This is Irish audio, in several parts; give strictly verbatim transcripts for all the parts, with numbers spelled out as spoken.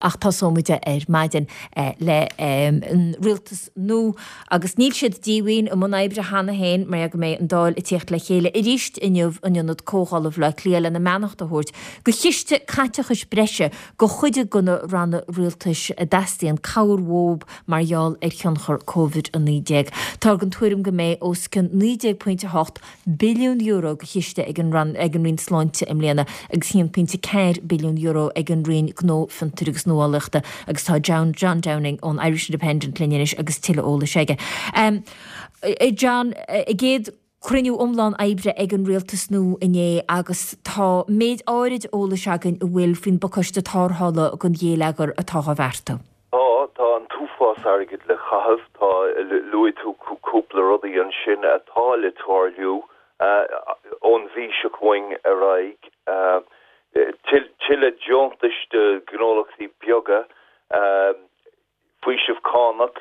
Ach tosóimid ar maidin le an rialtas nua agus níl siad díomhaoin i mbun oibre cheana féin mar go mbeidh an Dáil ag tíocht le chéile arís inniu in Ionad Comhdhála Bhaile Átha Cliath lena mbeannacht a thabhairt go chiste caiteachais breise go chuid de na ranna rialtais a dteastaíonn cabhair uathu mar gheall ar thionchar Covid a naoi déag. Tá an tuairim go mbeidh os cionn naoi déag pointe a hocht billiún euro go chiste ag an ag an Roinn Sláinte i mbliana agus haon pointe ceathair billiún euro ag an Roinn Gnó Fiontair agus Nuálaíochta agus tá John John Downing ón Irish Independent linn anois agus tuilleadh eolais aige. Um, John, a gcéad cruinniú iomlán oibre ag an rialtas nua inné agus tá méid áirid eolais againn a bhfuil faoin bpacáiste tarrthála don gheilleagar atá á bheartú. Tá tá an t-uafás airgid le caitheamh tá luaigh tú cúpla rudaí ansin atá le tarlú ón mhí seo chugainn ar aghaidh tuilleadh deontais do ghnólachtaí beaga faoiseamh cánach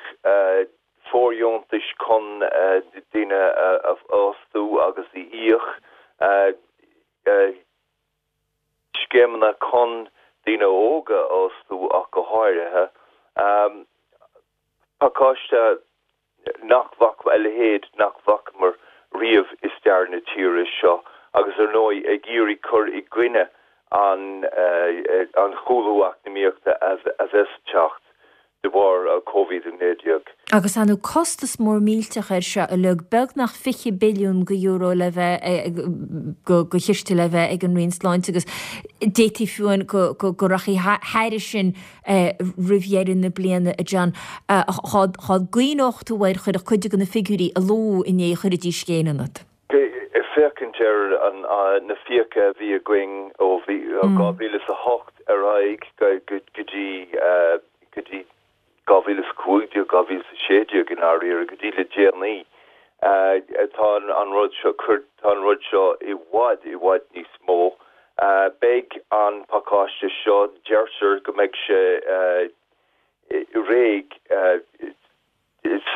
fóirdheontais chun daoine a fhostú agus a íoc scéimeanna chun daoine óga a fhostú ach go háirithe pacáiste nach bhfaca a leithéid nach bhfacamar riamh i stair na tíre seo agus ar ndóigh ag iarraidh cur i gcoinne an an chúlú eacnamaíochta a bheas ag teacht de bharr Covid a naoi déag. Agus an costas mór millteach air seo uilig beagnach fiche billiún go euro le bheith go go chiste le bheith ag an Roinn Sláinte agus d'fhéadfaí fiú go go go rachaidh thairis sin roimh dheireadh na bliana a John. Chá gcuimhneodh tú air chuirfeadh cuid de na figiúirí a luadh inné chuirfidís scéin ionat. Féachaint ar an na fiacha a bhí againn ó bhí dhá mhíle is a hocht ar aghaidh go dtí go dtí dhá mhíle is cúig déag, dhá mhíle is a sé déag i ndáiríre, go dtí le déanaí. Tá an rud seo, tá an rud seo i bhfad, i bhfad níos mó. Beidh an pacáiste seo, deirtear go mbeidh sé réidh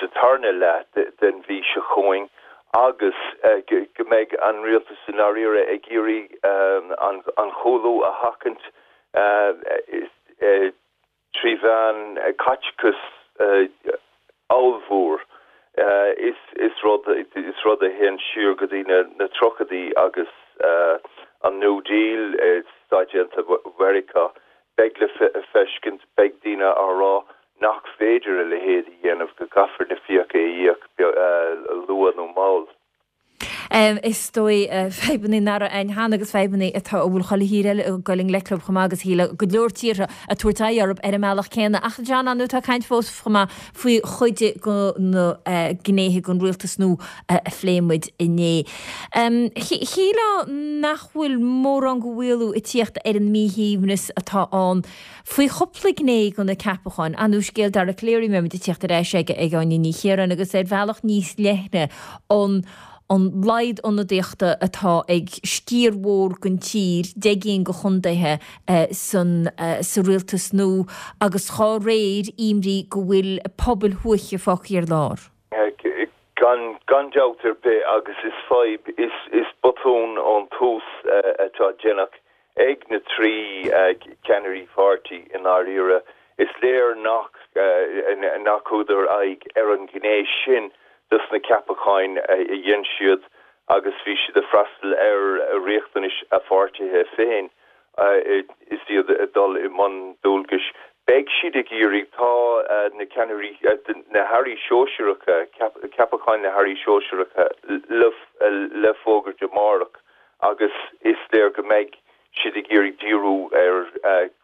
sa tarna leath den mhí seo chugainn agus go mbeidh an rialtas i ndáiríre ag iarraidh an chúlú a sheachaint trí mheán caiteachas ollmhór. Is is rud is rud a théann siar go dtí na na tríochaidí agus an New Deal i Stáit Aontaithe Mheiriceá. Beidh le feiscint, beidh daoine á rá nach féidir a leithéid a dhéanamh, go gcaithfear na fiacha a íoc luath nó mall. Is dóigh fadhbanna nach raibh ann cheana agus fadhbanna atá a bhfuil chuile thír eile ag dul i ngleic leo chomh maith agus shílfeá go leor tíortha ag tabhairt aghaidh orthu ar an mbealach céanna. Ach John, ar ndóigh tá caint fós chomh maith faoi chuid de na gnéithe den rialtas nua a phléigh muid inné. Shílfeá nach bhfuil mórán de mhaolú ag tíocht ar an míshuaimhneas atá ann faoi chúpla gné de na ceapacháin. Ar ndóigh scéal Dara Calleary, mbeimid ag tíocht ar ais aige ag Áine Ní Chiaráin agus ar bhealach níos leithne an an laghad ionadaíochta atá ag sciar mhór den tír, deich gcinn de chontaetha san sa rialtas nua agus dá réir imní go bhfuil pobail thuaithe fágtha ar lár. Gan gan dabht ar bith agus is fadhb, is is botún ón tús atá déanta ag na trí cheannairí pháirtí i ndáiríre. Is léir nach nach thugadar aghaidh ar an ghné sin dos na ceapacháin a dhein siad agus bhí siad ag freastal ar riachtanais a pháirtithe féin is iad ag dul i mbun dualgais. Beidh siad ag iarraidh, tá na ceannairí, na hairí sóisearacha, ceapacháin na hairí sóisearacha le fógairt amárach agus is léir go mbeidh siad ag iarraidh díriú ar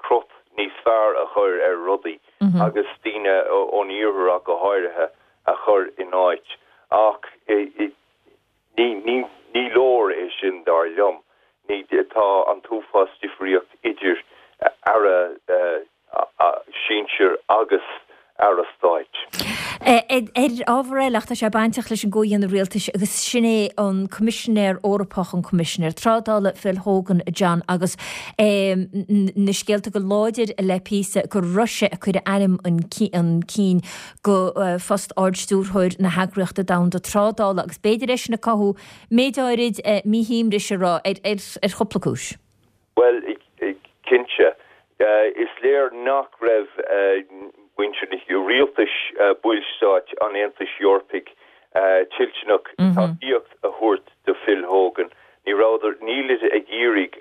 crot níos fearr a chur ar rudaí agus daoine ón iarthar ach go háirithe a chur in áit. Ach ní ní ní leor é sin dar liom. Ní tá an t-uafás difríocht idir aire sinsir agus aire stáit. Ar ábhar eile, ach tá sé bainteach leis an gcomhdhéanamh rialtais agus sin é an Coimisinéir Eorpach, an Coimisinéir Trádála, Phil Hogan, John, agus na scéalta go láidir le píosa gur Russia a cuireadh ainm chun cinn go phost Ard-Stiúrthóir na hEagraíochta Domhanda Trádála agus b'fhéidir é sin ag cothú méid áirid míshuaimhnis a rá ar chúpla cúis. Bhuel, cinnte, Is léir nach raibh muintir na rialtais ballstáit an Aontais Eorpaigh toilteanach tacaíocht a thabhairt do Phil Hogan. Ní rabhadar, nílid ag iarraidh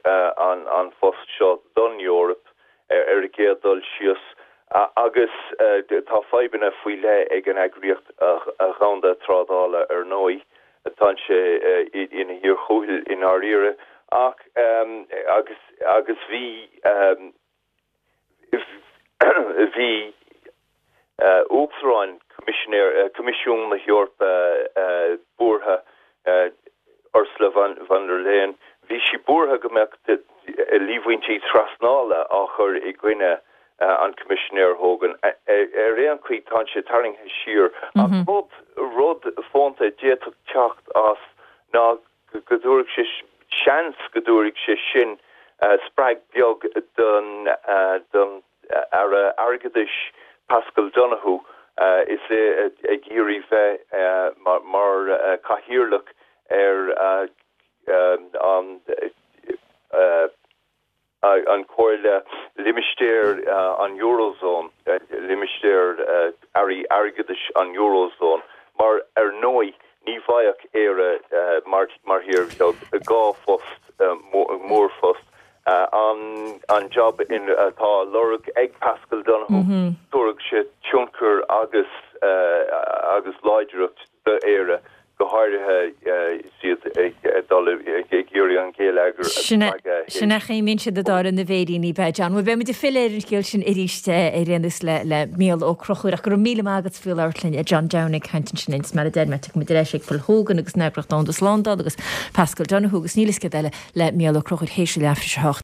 an phost seo don Eoraip ar an gcéad dul síos agus tá fadhbanna faoi leith ag an Eagraíocht Dhomhanda Trádála ar ndóigh. Tá sé ina thír chúthail i ndáiríre ach agus agus bhí bhí Uachtarán Coimisiún na hEorpa buartha, Ursula von der Leyen, bhí sí buartha go mbeadh líomhaintí trasnála á chur i gcoinne an Coimisinéir Hogan. Ar aon chaoi tá sé tarraingthe siar ach rud rud fónta a d'fhéadfadh teacht as ná go dtabharfadh sé seans go dtabharfadh sé sin spreag beag don don Aire Airgeadais Paschal Donohoe is é ag iarraidh bheith mar chathaoirleach ar an an Comhairle Limistéir an Eurozone, limistéar airí airgeadais an Eurozone, mar ar ndóigh ní bhfaigheadh Éire mar mar thír bheag dhá phost mórphost. An an job in atá á lorg ag Paschal Donohoe, tabharfaidh sé tionchar agus agus láidreacht d'Éire, go háirithe is iad ag dul ag iarraidh an geilleagar a spreagadh. Sin é a mbíonn siad ag dáileadh na bhféiríní, b'ea, John. Bhuel, beidh muid ag filleadh ar an scéal sin arís ar aon nós le le Mícheál Ó Conchúir ach go raibh míle maith agat faoi labhairt linn, John Downing ag caint ansin is mar a deir mé, tiocfaidh muid ar ais ag Phil Hogan agus an Eagraíocht Domhanda Slándála agus Paschal Donohoe agus níl a fhios céard eile le Mícheál Ó Conchúir théis a leathuair tar éis a hocht.